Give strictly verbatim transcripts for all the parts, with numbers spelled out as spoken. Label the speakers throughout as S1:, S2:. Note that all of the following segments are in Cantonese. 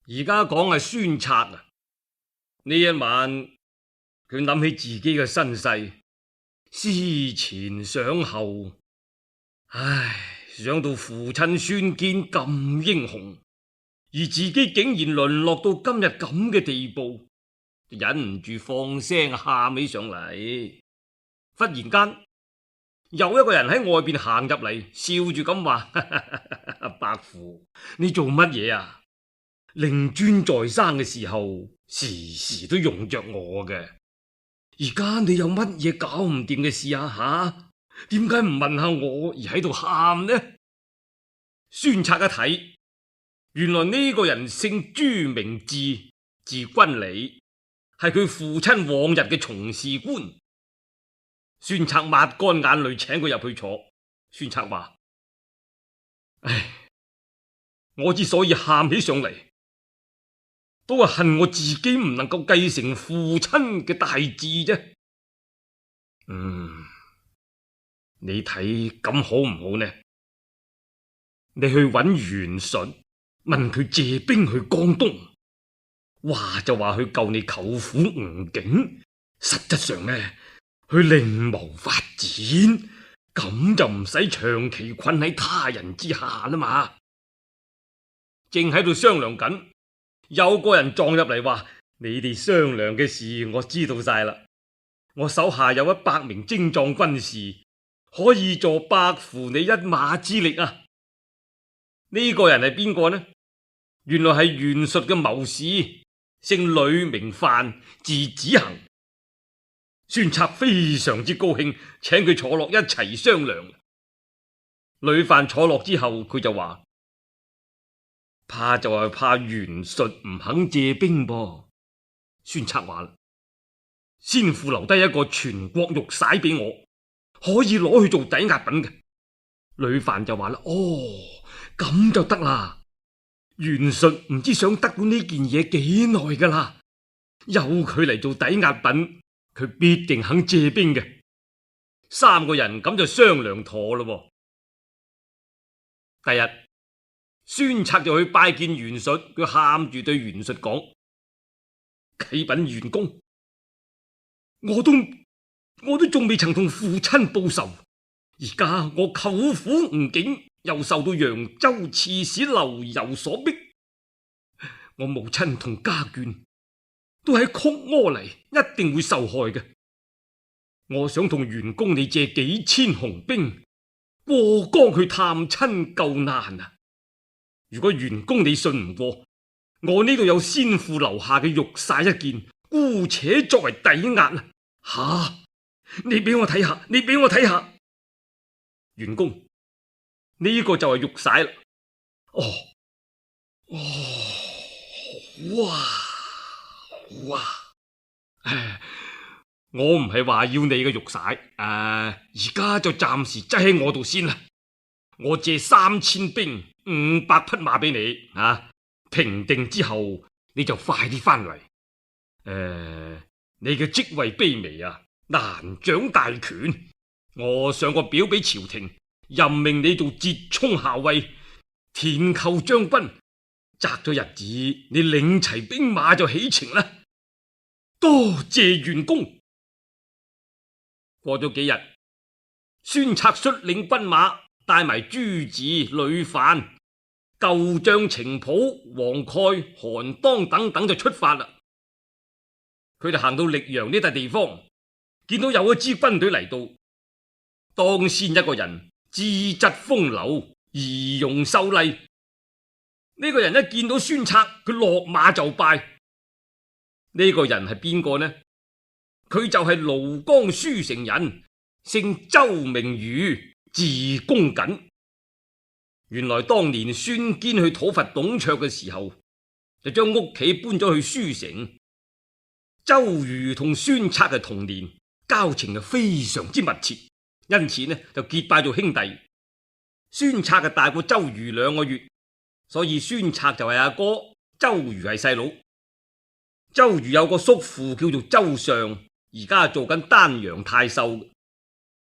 S1: 而家講係孫策啊，呢一晚佢諗起自己嘅身世，思前想後，唉，想到父親孫堅咁英雄，而自己竟然淪落到今日咁嘅地步，忍唔住放聲喊起上嚟。忽然間，有一個人喺外邊行入嚟，笑住咁話：伯父，你做乜嘢啊？令尊在生嘅時候，時時都用着我嘅。而家你有乜嘢搞唔掂嘅事啊？吓，點解唔問下我而喺度喊呢？孫策一睇，原來呢個人姓朱名智，字君里，係佢父親往日嘅從事官。孫策抹乾眼淚，請佢入去坐。孫策話：唉，我之所以喊起上嚟，都係恨我自己唔能夠繼承父親嘅大志啫。嗯，你睇咁好唔好呢？你去揾袁術，問佢借兵去江東，話就話去救你舅父吳景，實質上呢，去另謀發展，咁就唔使長期困喺他人之下啦嘛。正喺度商量緊，有個人撞入嚟話：你哋商量嘅事我知道晒啦，我手下有一百名精壯軍士，可以助伯父你一馬之力啊！呢個人係邊個呢？原來係袁術嘅謀士，姓呂，名範，字子衡。孫策非常之高興，請佢坐落一齊商量。呂範坐落之後，佢就話：怕就係怕袁術唔肯借兵噃。孫策話啦：先父留低一個全國玉璽俾我，可以攞去做抵押品嘅。呂範就話啦：哦，咁就得啦。袁術唔知想得到呢件嘢幾耐噶啦，由佢嚟做抵押品，佢必定肯借兵嘅。三個人咁就商量妥咯。第日，孫策就去拜見袁術，佢喊住對袁術講：啟稟袁公，我都我都仲未曾同父親報仇，而家我舅父吳景又受到揚州刺史劉繇所逼，我母親同家眷都喺曲阿黎，一定會受害嘅。我想同袁公你借幾千雄兵過江去探親救難啊！如果袁公你信唔過，我呢度有先父留下嘅玉璽一件，姑且作為抵押啊！吓，你俾我睇下，你俾我睇下，袁公，呢個就係玉璽啦。哦，哦，哇哇！唉，我唔係話要你嘅玉璽，誒、呃，而家就暫時擠喺我度先啦。我借三千兵、五百匹馬俾你啊！平定之後，你就快啲翻嚟。誒、呃，你嘅職位卑微啊，難掌大權。我上個表俾朝廷，任命你做浙沖校尉、田寇將軍。擇咗日子，你領齊兵馬就起程啦。多謝袁公。過咗幾日，孫策率領軍馬，帶埋朱子、呂範、舊將程普、黃蓋、韓當等等就出發啦。佢哋行到溧陽呢笪地方，見到有一支軍隊嚟到，當先一個人資質風流，儀容秀麗。呢個人一見到孫策，佢落馬就拜。呢個人係邊個呢？佢就係廬江舒城人，姓周名瑜，字公瑾。原來當年孫堅去討伐董卓嘅時候，就將屋企搬咗去舒城。周瑜同孫策係同年，交情係非常之密切，因此呢就結拜做兄弟。孫策係大過周瑜兩個月，所以孫策就係阿哥，周瑜係細佬。周瑜有個叔父叫做周尚，而家做緊丹陽太守。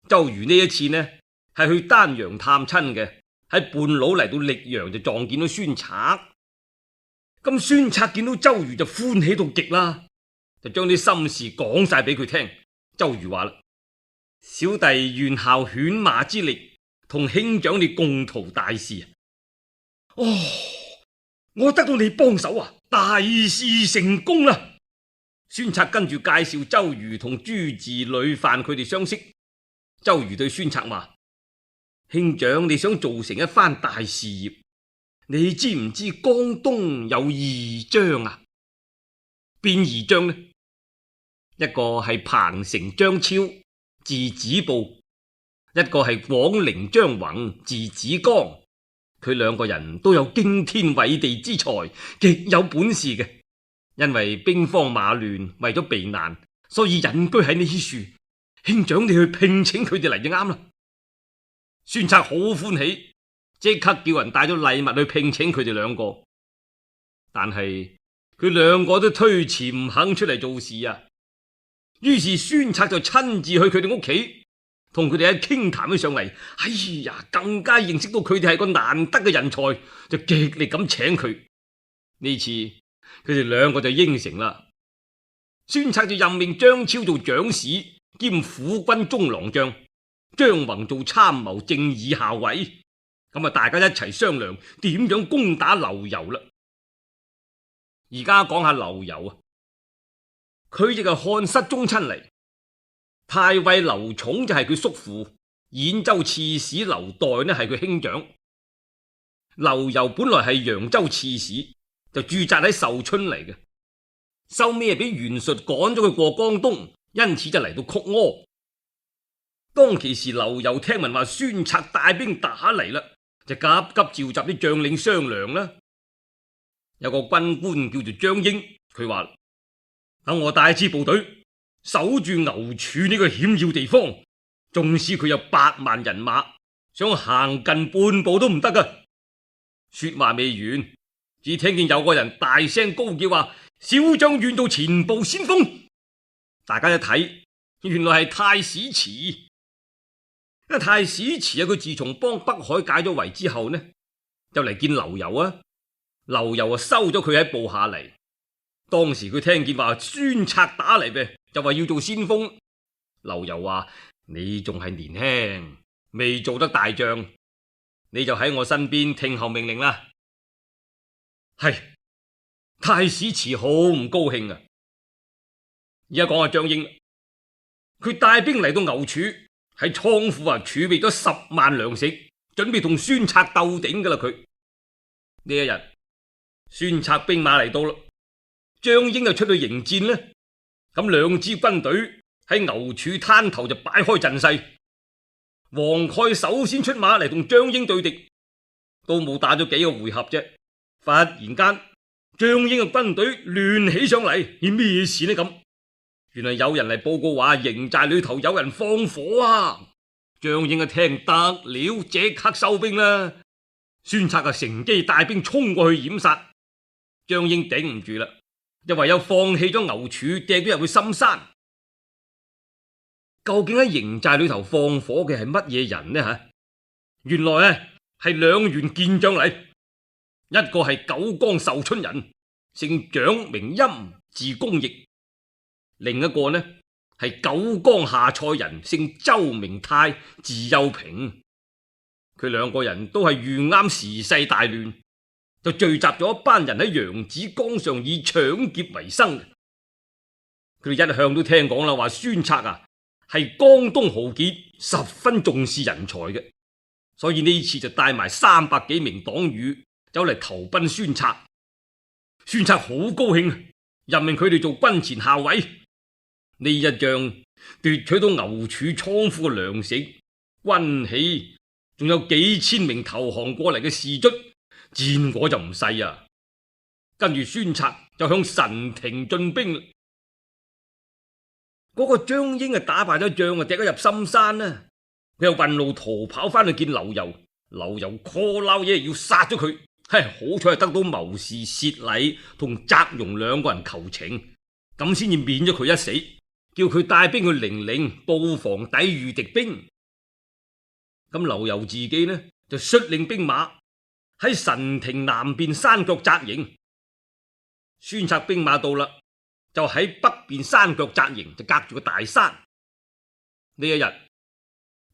S1: 周瑜呢一次呢係去丹陽探親嘅，喺半路嚟到溧陽就撞見到孫策。咁孫策見到周瑜就歡喜到極啦，就將啲心事講晒俾佢聽。周瑜話啦：小弟願效犬馬之力，同兄長你共圖大事。哦，我得到你幫手啊，大事成功啦！孫策跟住介紹周瑜同朱治、呂範佢哋相識。周瑜對孫策話：兄長你想做成一番大事業，你知唔知江東有二張啊？邊二張呢？一個係彭城張超，字子布；一個係廣陵張宏，字子江。佢兩個人都有驚天偉地之才，極有本事嘅。因為兵荒馬亂，為咗避難，所以隱居喺呢處。兄長你去聘請佢哋嚟就啱啦。孫策好歡喜，即刻叫人帶咗禮物去聘請佢哋兩個。但係佢兩個都推辭唔肯出嚟做事啊。於是孫策就親自去佢哋屋企，同佢哋喺傾談起上嚟。哎呀，更加認識到佢哋係個難得嘅人才，就極力咁請佢。呢次佢哋兩個就應承啦。孫策就任命張超做長史兼撫軍中郎將，張宏做參謀正議校尉。咁啊，大家一齊商量點樣攻打劉繇啦。而家講下劉繇啊，佢亦係漢室宗親嚟，太尉劉琮就係佢叔父，兗州刺史劉岱呢係佢兄長。劉繇本來係揚州刺史，就駐紮喺壽春嚟嘅，收尾俾袁術趕咗佢過江東，因此就嚟到曲阿。當其時劉繇聽聞話孫策帶兵打嚟啦，就急急召集啲將領商量啦。有個軍官叫做張英，佢話：等我帶支部隊守住牛柱呢個險要地方，縱使佢有百萬人馬，想行近半步都唔得噶。說話未完，只聽見有個人大聲高叫話：小將願做前部先鋒。大家一睇，原來係太史慈。因為太史慈啊，佢自從幫北海解咗圍之後呢，就嚟見劉繇啊。劉繇啊收咗佢喺部下嚟。當時佢聽見話孫策打嚟嘅，就話要做先鋒。劉繇話：你仲係年輕，未做得大將，你就喺我身邊聽候命令啦。係，太史慈好唔高興啊。而家講下張英，佢帶兵嚟到牛柱，喺倉庫啊儲備咗十萬糧食，準備同孫策鬥頂噶啦。佢呢一日，孫策兵馬嚟到啦，張英就出去迎戰呢。咁兩支軍隊喺牛柱灘頭就擺開陣勢。黃蓋首先出馬嚟同張英對敵，都冇打咗幾個回合啫，忽然間張英嘅軍隊亂起上嚟，係咩事呢？咁原來有人嚟報告話營寨裏頭有人放火啊！張英一聽得了，即刻收兵啦。孫策啊乘機帶兵衝過去掩殺，張英頂唔住啦，就唯有放棄咗牛柱，掟咗入去深山。究竟喺營寨裏頭放火嘅係乜嘢人呢？吓，原來啊係兩員健將嚟，一個係九江壽春人，姓蔣名欽，字公義；另一個呢係九江下蔡人，姓周名泰，字幼平。佢兩個人都係遇啱時勢大亂，就聚集咗一班人喺揚子江上以搶劫為生。佢哋一向都聽講啦，話孫策啊係江東豪傑，十分重視人才嘅，所以呢次就帶埋三百幾名黨羽走嚟投奔孫策。孫策好高興，任命佢哋做軍前校尉。呢一仗奪取到牛柱倉庫嘅糧食、軍器，仲有幾千名投降過嚟嘅士卒，戰果就唔細啊。跟住孫策就向神亭進兵。嗰個張英啊打敗咗仗啊，趯咗入深山啦。佢又運路逃跑翻去見劉繇，劉繇 call 撈嘢要殺咗佢。嘿，好彩係得到謀士薛禮同翟容兩個人求情，咁先至免咗佢一死，叫佢帶兵去零陵布防抵禦敵兵。咁劉繇自己呢就率領兵馬喺神亭南邊山腳紮營。孫策兵馬到啦，就喺北邊山腳紮營，就隔住個大山。呢一日，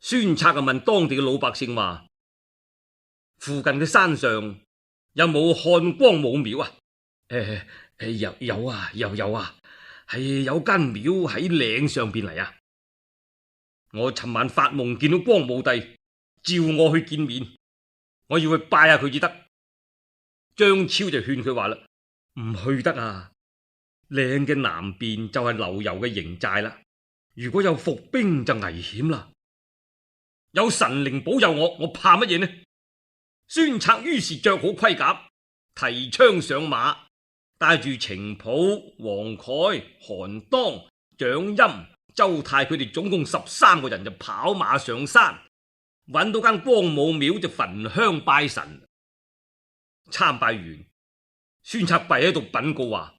S1: 孫策就問當地嘅老百姓話：附近嘅山上有冇漢光武廟啊？誒、呃、有有啊，又有啊，係有間廟喺嶺上邊嚟啊！我尋晚發夢見到光武帝，召我去見面，我要去拜下佢至得。張超就勸佢話啦：唔去得啊！嶺嘅南邊就係劉繇嘅營寨啦，如果有伏兵就危險啦。有神靈保佑我，我怕乜嘢呢？孫策於是着好盔甲，提槍上馬，帶住程普、黃蓋、韓當、蔣歆、周泰佢哋總共十三個人就跑馬上山，揾到間光武廟就焚香拜神。參拜完，孫策跪喺度稟告話：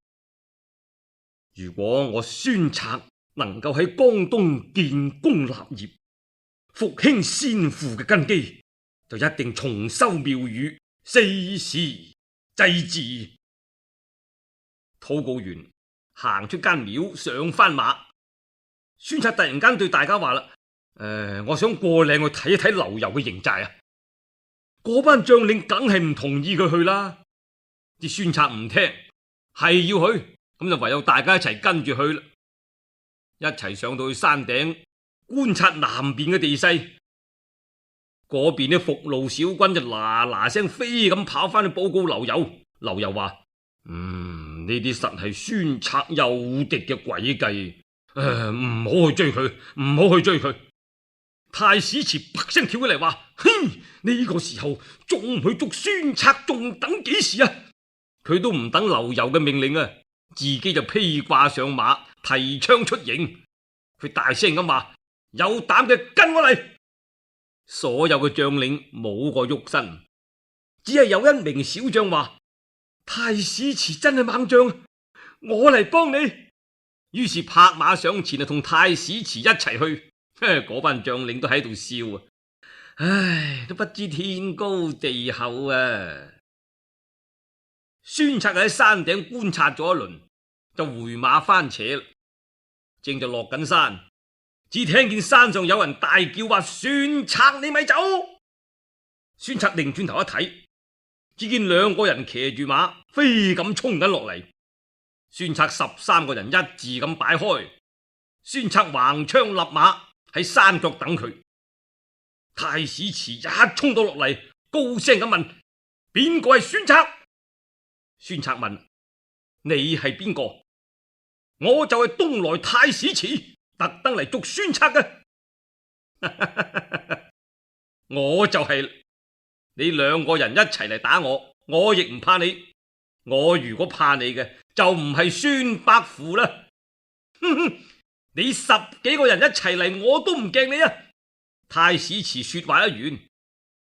S1: 如果我孫策能夠喺江東建功立業，復興先父嘅根基，就一定重修廟宇，四時祭祀。禱告完，行出間廟，上翻馬。孫策突然間對大家話啦：誒、呃，我想過嶺去睇一睇劉繇嘅營寨啊！嗰班將領梗係唔同意佢去啦。啲孫策唔聽，係要去，咁就唯有大家一齊跟住去啦。一齊上到去山頂觀察南邊嘅地勢，嗰邊啲伏路小軍就嗱嗱聲飛咁跑翻去報告劉繇。劉繇話：嗯，呢啲實係孫策誘敵嘅詭計，誒，唔好去追佢，唔好去追佢。太史慈啪聲跳起嚟話：嘿，呢個時候仲唔去捉孫策，仲等幾時啊？佢都唔等劉繇嘅命令啊，自己就披掛上馬，提槍出營。佢大聲咁話：有膽嘅跟我嚟！所有嘅將領冇個喐身，只係有一名小將話：太史慈真係猛將，我嚟幫你。於是拍馬上前啊，同太史慈一齊去。嗰班將領都喺度笑啊！唉，都不知天高地厚啊！孫策喺山頂觀察咗一輪，就回馬翻扯啦。正就落緊山，只聽見山上有人大叫話：孫策，你咪走！孫策擰轉頭一睇，只見兩個人騎住馬飛咁衝緊落嚟。孫策十三個人一字咁擺開，孫策橫槍立馬喺山腳等佢。太史慈一衝到落嚟，高聲咁問：邊個係孫策？孫策問：你係邊個？我就係東來太史慈，特登嚟捉孫策嘅。我就係、是、你兩個人一齊嚟打我，我亦唔怕你。我如果怕你嘅，就唔係孫伯符啦。哼哼，你十幾個人一齊嚟，我都唔驚你啊！太史慈說話一完，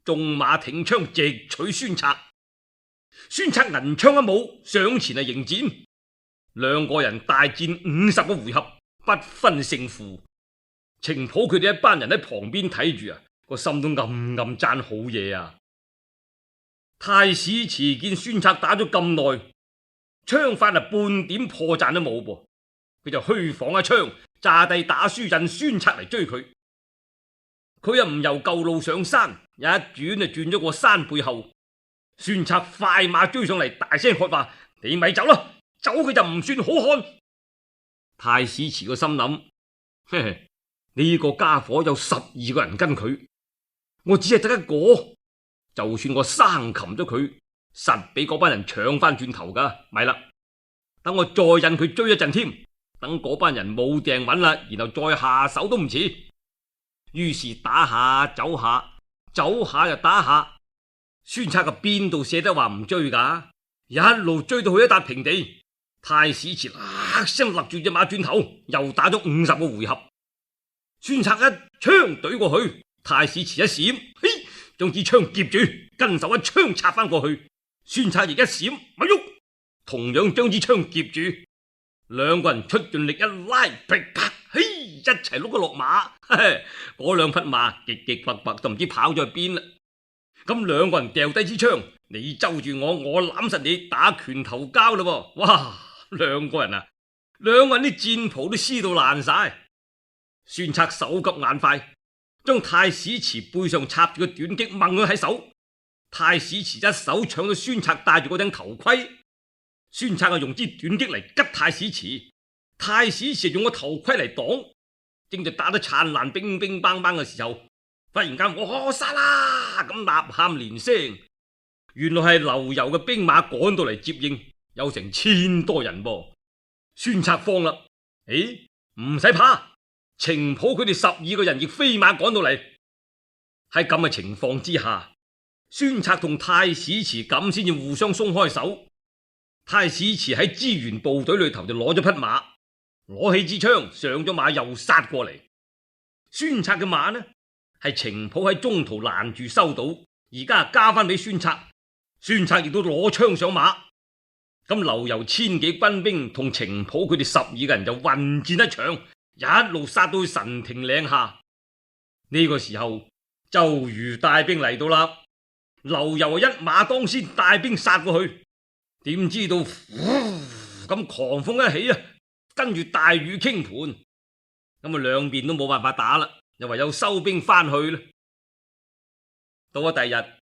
S1: 縱馬挺槍直取孫策。孫策銀槍一舞，上前嚟迎戰。兩個人大戰五十個回合，不分勝負。程普佢哋一班人喺旁邊睇住啊，個心都暗暗讚好嘢啊！太史慈見孫策打咗咁耐，槍法啊半點破綻都冇噃，佢就虛晃一槍，詐帝打輸引孫策嚟追佢。佢又唔由舊路上山，一轉就轉咗過山背後。孫策快馬追上嚟，大聲喝話：你咪走啦！走佢就唔算好漢。太史慈個心諗：嘿嘿，呢個家伙有十二個人跟佢，我只係得一個。就算我生擒咗佢，實俾嗰班人搶翻轉頭噶。咪啦，等我再引佢追一陣添，等嗰班人冇掟穩啦，然後再下手都唔遲。於是打下走下，走下又打下。孫策嘅邊度捨得話唔追噶？一路追到去一笪平地，太史慈嗱聲勒住隻馬轉頭，又打咗五十個回合。孫策一槍懟過去，太史慈一閃，嘿，將支槍夾住，跟手一槍插翻過去。孫策亦一閃咪喐，同樣將支槍夾住。兩個人出盡力一拉，噼啪，嘿，一齊碌咗落馬。嗰兩匹馬極極拔拔，就唔知跑咗去邊啦。咁兩個人掉低支槍，你揪住我，我攬實你，打拳頭交啦噃！哇，兩個人啊，兩個人啲戰袍都撕到爛晒。孫策手急眼快，將太史慈背上插住個短戟掹佢喺手。太史慈一手搶到孫策戴住嗰頂頭盔，孫策啊用支短戟嚟吉太史慈，太史慈用個頭盔嚟擋。正在打得燦爛乒乒乓乓嘅時候，忽然間我殺啦咁吶喊連聲，原來係劉繇嘅兵馬趕到嚟接應，有成千多人噃。孫策慌啦，誒，唔使怕，程普佢哋十二個人亦飛馬趕到嚟。喺咁嘅情況之下，孫策同太史慈咁先至互相鬆開手。太史慈喺支援部隊裏頭就攞咗匹馬，攞起支槍上咗馬又殺過嚟。孫策嘅馬呢係程普喺中途攔住收到，而家加翻俾孫策。孫策亦都攞槍上馬。咁劉繇千幾軍兵同程普佢哋十二個人就混戰一場，一路殺到去神亭嶺下。呢個時候周瑜帶兵嚟到啦，劉繇一馬當先帶兵殺過去，點知道咁狂風一起啊，跟住大雨傾盆，咁啊兩邊都冇辦法打啦，又唯有收兵翻去啦。到咗第二日，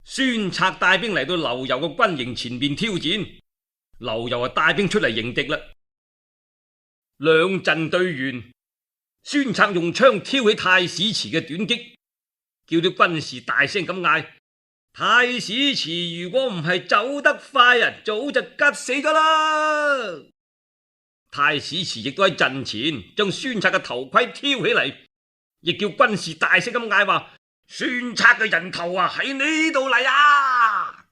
S1: 孫策帶兵嚟到劉繇嘅軍營前面挑戰，劉繇啊帶兵出嚟迎敵啦。兩陣對完，孫策用槍挑起太史慈嘅短戟，叫啲軍士大聲咁嗌：太史慈如果唔係走得快啊，早就吉死咗啦！太史慈亦都喺陣前將孫策嘅頭盔挑起嚟，亦叫軍士大聲咁嗌話：孫策嘅人頭啊喺呢度嚟啊！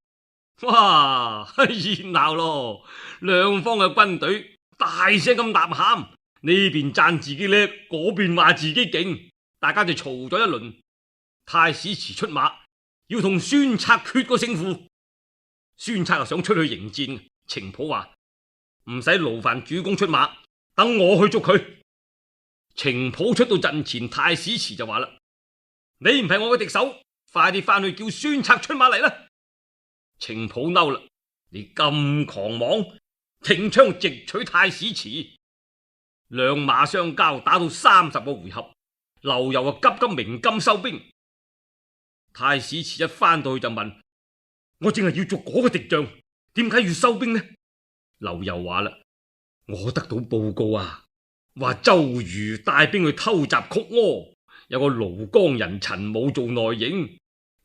S1: 哇，熱鬧咯！兩方嘅軍隊大聲咁吶喊，呢邊讚自己叻，嗰邊話自己勁，大家就嘈咗一輪。太史慈出馬，要同孫策決個勝負。孫策又想出去迎戰，程普話唔使勞煩主公出馬，等我去捉佢。程普出到陣前，太史慈就話啦：你唔係我嘅敵手，快啲翻去叫孫策出馬嚟啦！程普嬲啦，你咁狂妄，挺槍直取太史慈。兩馬相交，打到三十個回合，劉繇啊急急鳴金收兵。太史慈一翻到去就問：我淨係要捉嗰個敵將，點解要收兵呢？劉繇話啦：我得到報告啊，話周瑜帶兵去偷襲曲阿，有個廬江人陳武做內應，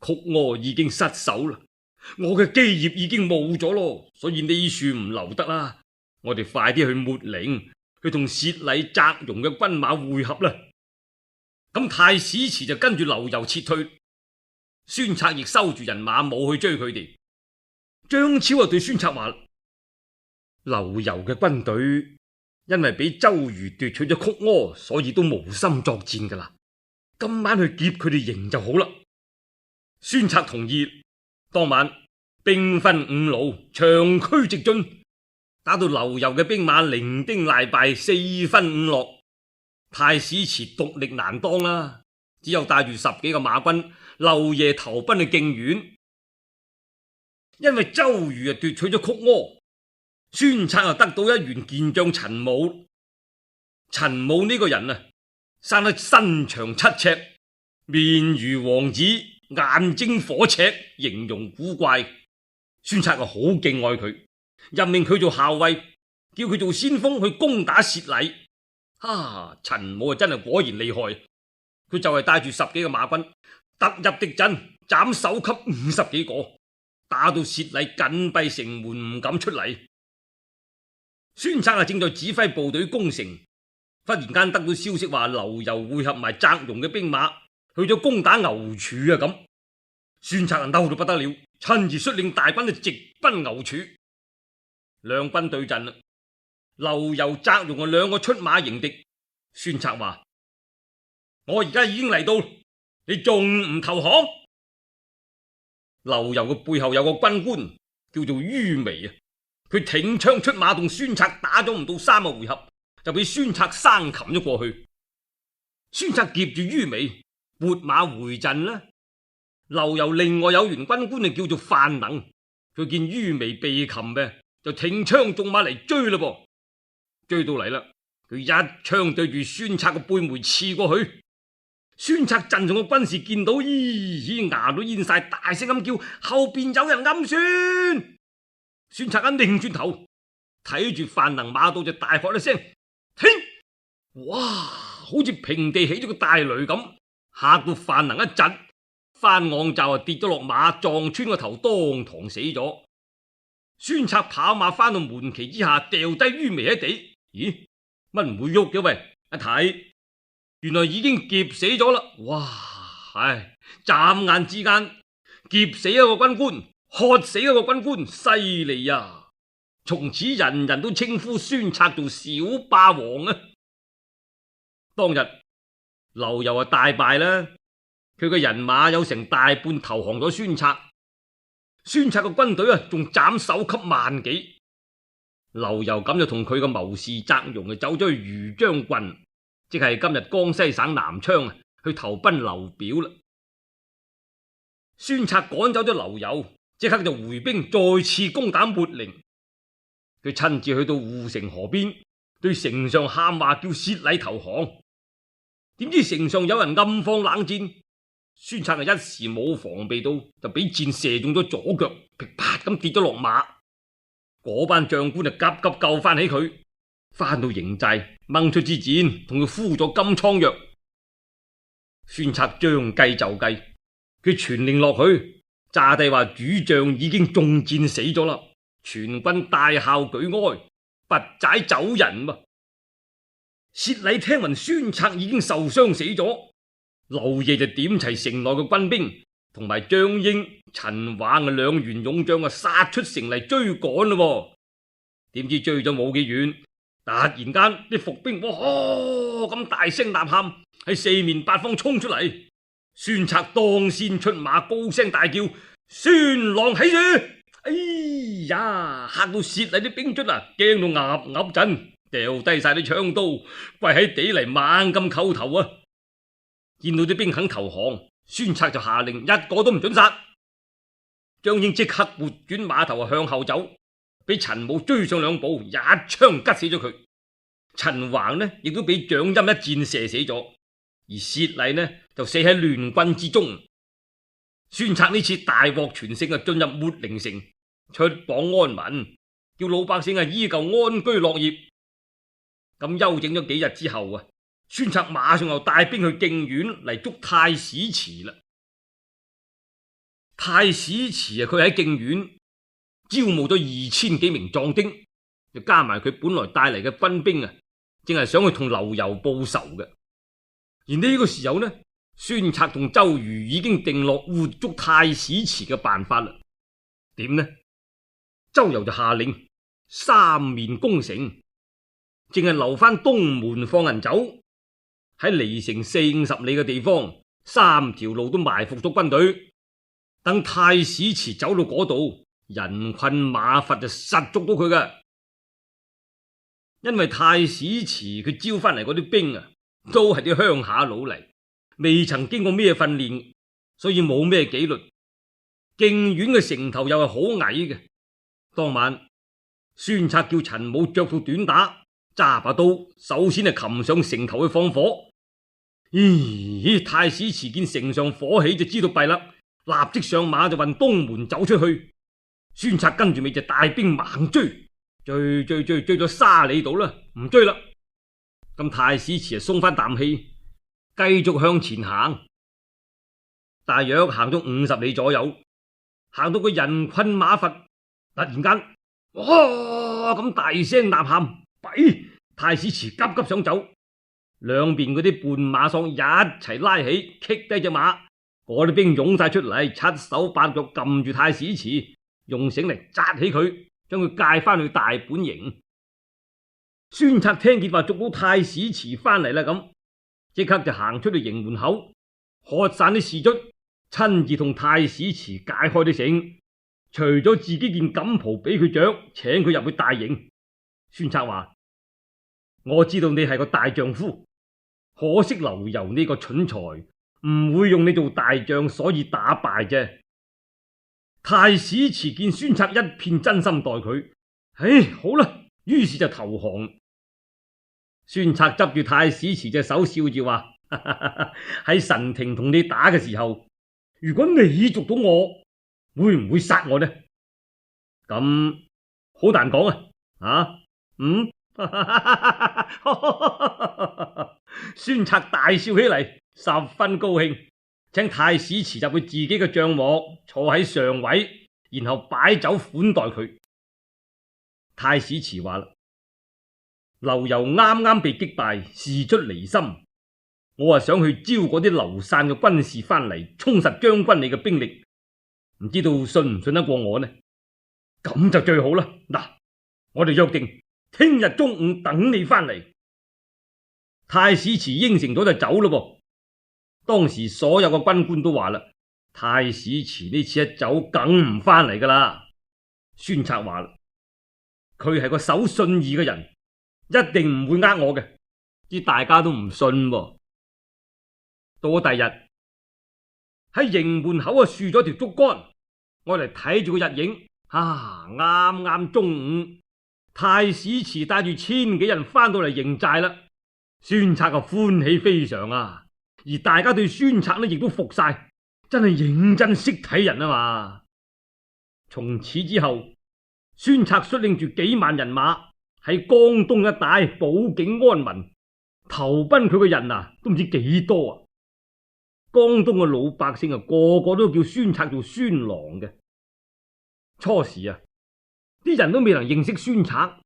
S1: 曲阿已經失守啦，我嘅基業已經冇咗咯，所以呢處唔留得啦，我哋快啲去秣陵，去同薛禮、翟容嘅軍馬會合啦。咁太史慈就跟住劉繇撤退，孫策亦收住人馬冇去追佢哋。張超啊對孫策話：劉繇嘅軍隊因為俾周瑜奪取咗曲阿，所以都無心作戰噶啦，今晚去劫佢哋營就好啦。孫策同意，當晚兵分五路，長驅直進，打到劉繇嘅兵馬零丁賴敗，四分五落。太史慈獨力難當啦，只有帶住十幾個馬軍漏夜投奔去涇縣。因為周瑜啊奪取咗曲阿，孫策啊得到一員健將陳武。陳武呢個人啊生得身長七尺，面如王子，眼睛火赤，形容古怪。孫策啊好敬愛佢，任命佢做校尉，叫佢做先鋒去攻打薛禮。哈！陳武啊真係果然厲害，佢就係帶住十幾個馬軍突入敵陣，斬首級五十幾個，打到薛禮緊閉城門唔敢出嚟。孫策啊正在指揮部隊攻城，忽然間得到消息話劉繇會合埋翟容嘅兵馬去咗攻打牛柱啊！咁孫策啊嬲到不得了，親自率領大軍去直奔牛柱。兩軍對陣啦，劉繇、翟容啊兩個出馬迎敵。孫策話：我而家已經嚟到，你仲唔投降？劉繇嘅背後有個軍官叫做于眉啊，佢挺槍出馬同孫策打咗唔到三個回合，就俾孫策生擒咗過去。孫策劫住于眉，撥馬回陣啦。劉繇另外有員軍官就叫做范能，佢見于眉被擒嘅，就挺槍縱馬嚟追嘞噃。追到嚟啦，佢一槍對住孫策個背眉刺過去。孫策陣上嘅軍士見到，咦，牙都煙晒，大聲咁叫：後邊有人暗算！孫策一擰轉頭，睇住范能馬到就大喝一聲：停！哇，好似平地起咗個大雷咁，嚇到范能一窒，翻昂就啊跌咗落馬，撞穿個頭，當堂死咗。孫策跑馬翻到門旗之下，掉低于眉喺地。咦，乜唔會喐嘅？喂，一睇原來已經劫死咗啦！哇，唉，眨眼之間劫死一個軍官，喝死一個軍官，犀利呀！從此人人都稱呼孫策做小霸王啊！當日劉繇啊大敗啦，佢嘅人馬有成大半投降咗孫策，孫策嘅軍隊啊仲斬首級萬幾。劉繇咁就同佢嘅謀士翟容啊走咗去余張郡，即係今日江西省南昌啊，去投奔劉表啦。孫策趕走咗劉繇，即刻就回兵再次攻打秣陵。佢親自去到護城河邊，對城上喊話叫薛禮投降。點知城上有人暗放冷箭，孫策啊一時冇防備到，就俾箭射中咗左腳，噼啪咁跌咗落馬。嗰班將官就急急救翻起佢，翻到營寨掹出支箭，同佢敷咗金瘡藥。孫策將計就計，佢傳令落去，詐帝話主將已經中箭死咗啦，全軍大校舉哀，拔寨走人噃。薛禮聽聞孫策已經受傷死咗，漏夜就點齊城內嘅軍兵，同埋張英、陳華嘅兩員勇將啊，殺出城嚟追趕咯。點知追咗冇幾遠，突然間啲伏兵哇咁大聲吶喊，喺四面八方衝出嚟。孫策當先出馬，高聲大叫：孫郎起住！哎呀，嚇到薛禮啲兵卒啊，驚到岌岌震，掉低晒啲槍刀，跪喺地嚟猛咁叩頭啊！見到啲兵肯投降，孫策就下令一個都唔准殺。張英即刻撥轉馬頭向後走，俾陳武追上兩步，一槍吉死咗佢。陳橫呢亦都俾蔣欽一箭射死咗，而薛禮呢就死喺亂軍之中。孫策呢次大獲全勝啊，進入秣陵城，出榜安民，叫老百姓啊依舊安居樂業。咁休整咗幾日之後啊，孫策馬上又帶兵去涇縣嚟捉太史慈啦。太史慈啊，佢喺涇縣招募咗二千幾名壯丁，就加埋佢本來帶嚟嘅軍兵啊，正係想去同劉繇報仇嘅。而呢個時候呢，孫策同周瑜已經定落活捉太史慈嘅辦法啦。點呢？周游就下令三面攻城，淨係留翻東門放人走。喺離城四五十里嘅地方，三條路都埋伏咗軍隊，等太史慈走到嗰度，人困馬乏就實捉到佢㗎。因為太史慈佢招翻嚟嗰啲兵啊，都係啲鄉下佬嚟，未曾經過咩訓練，所以冇咩紀律。涇縣嘅城頭又係好矮嘅。當晚孫策叫陳武着套短打，揸把刀，首先係擒上城頭去放火。咦，太史慈見城上火起就知道弊啦，立即上馬就運東門走出去。孫策跟住咪就帶兵猛追，追追追追咗沙里度啦，唔追啦。咁太史慈就鬆翻啖氣，繼續向前行。大約行咗五十里左右，行到個人困馬乏，突然間哇咁大聲吶喊，弊！太史慈急急想走，兩邊嗰啲絆馬喪一齊拉起，棘低隻馬。嗰啲兵湧晒出嚟，七手八腳撳住太史慈，用繩嚟紮起佢，將佢介翻去大本營。孫策聽見話捉到太史慈翻嚟啦，咁即刻就行出去營門口，喝散啲士卒，親自同太史慈解開啲繩，除咗自己件錦袍俾佢着，請佢入去大營。孫策話：我知道你係個大丈夫，可惜劉繇呢個蠢材唔會用你做大將，所以打敗啫。太史慈見孫策一片真心待佢，唉，好啦，於是就投降。孫策執住太史慈隻手，笑住話：喺神庭同你打嘅時候，如果你捉到我，會唔會殺我呢？咁好難講啊！啊，嗯，孫策大笑起嚟，十分高興，請太史慈入去自己嘅帳幕，坐喺上位，然後擺酒款待佢。太史慈話啦：劉繇啱啱被擊敗，事出離心，我啊想去招嗰啲流散嘅軍士翻嚟，充實將軍你嘅兵力，唔知道信唔信得過我呢？咁就最好啦！嗱，我哋約定聽日中午等你翻嚟。太史慈應承咗就走咯噃。當時所有嘅軍官都話啦：太史慈呢次一走，梗唔翻嚟噶啦。孫策話啦：佢係個守信義嘅人，一定唔會呃我嘅。啲大家都唔信喎。到咗第日喺營門口啊，豎咗條竹竿，我嚟睇住個日影。啊！啱啱中午，太史慈帶住千幾人翻到嚟營寨啦。孫策啊歡喜非常啊，而大家對孫策呢亦都服晒，真係認真識睇人啊嘛。從此之後，孫策率領住幾萬人馬喺江東一帶保境安民，投奔佢嘅人啊都唔知幾多啊。江東嘅老百姓啊個個都叫孫策做孫郎嘅。初時啊，啲人都未能認識孫策，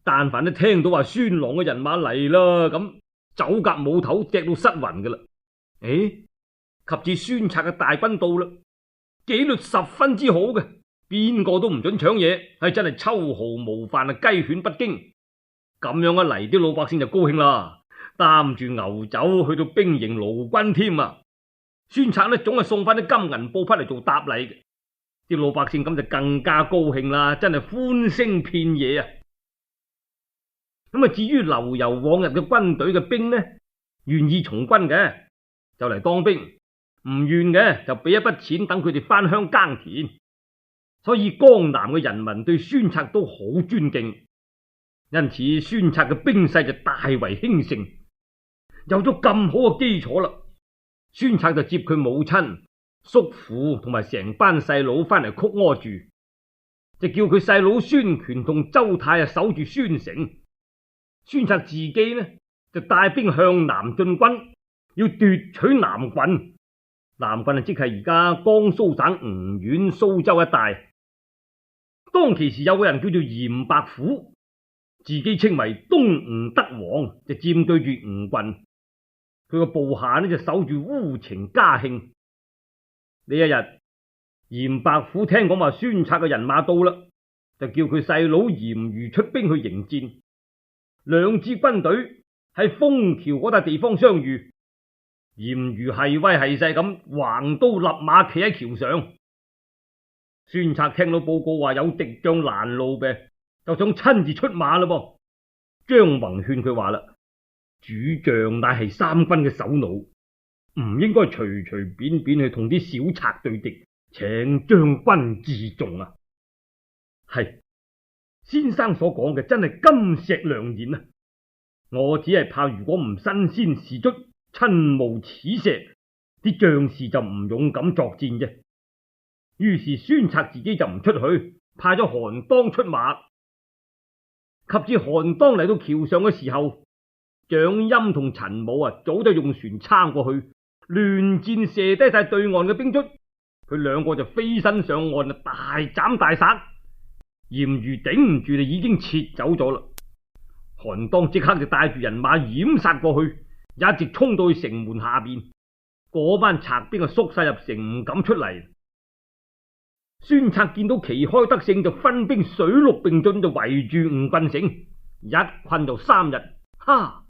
S1: 但凡都聽到話孫郎嘅人馬嚟啦，咁走夾冇頭，隻到失魂噶啦。誒，及至孫策嘅大軍到啦，紀律十分之好嘅，邊個都唔准搶嘢，係真係秋毫無犯啊，雞犬不驚。咁樣一嚟，啲老百姓就高興啦，擔住牛酒去到兵營勞軍添啊。孫策呢總係送翻啲金銀布匹嚟做答禮嘅。啲老百姓咁就更加高興啦，真係歡聲遍野啊！咁啊，至於劉繇往日嘅軍隊嘅兵呢，願意從軍嘅就嚟當兵，唔願嘅就俾一筆錢等佢哋翻鄉耕田。所以江南嘅人民對孫策都好尊敬，因此孫策嘅兵勢就大為興盛。有咗咁好嘅基礎啦，孫策就接佢母親、叔父同埋成班細佬翻嚟曲阿住，就叫佢細佬孫權同周泰啊守住孫城。孫策自己呢就帶兵向南進軍，要奪取南郡。南郡啊，即係而家江蘇省吳縣蘇州一帶。當其時有個人叫做嚴白虎，自己稱為東吳德王，就佔據住吳郡。佢個部下呢就守住烏程、嘉興。呢一日，嚴白虎聽講話孫策嘅人馬到啦，就叫佢細佬嚴虞出兵去迎戰。兩支軍隊喺楓橋嗰笪地方相遇，嚴虞係威係勢咁橫刀立馬企喺橋上。孫策聽到報告話有敵將攔路嘅，就想親自出馬啦噃。張宏勸佢話啦：主將乃係三軍嘅首腦，唔應該隨隨便便去同啲小賊對敵，請將軍自重啊！係先生所講嘅真係金石良言啊！我只係怕如果唔身先士卒，親冒此石，啲將士就唔勇敢作戰啫。於是孫策自己就唔出去，派咗韓當出馬。及至韓當嚟到橋上嘅時候，蔣歆同陳武啊早就用船撐過去，亂箭射低晒對岸嘅兵卒。佢兩個就飛身上岸啊，大斬大殺。嚴虞頂唔住就已經撤走咗啦。韓當即刻就帶住人馬掩殺過去，一直衝到去城門下邊。嗰班賊兵啊縮晒入城，唔敢出嚟。孫策見到旗開得勝，就分兵水陸並進，就圍住吳郡城，一困就三日。哈，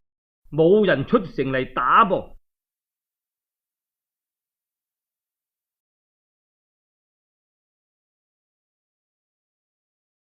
S1: 冇人出城嚟打噃。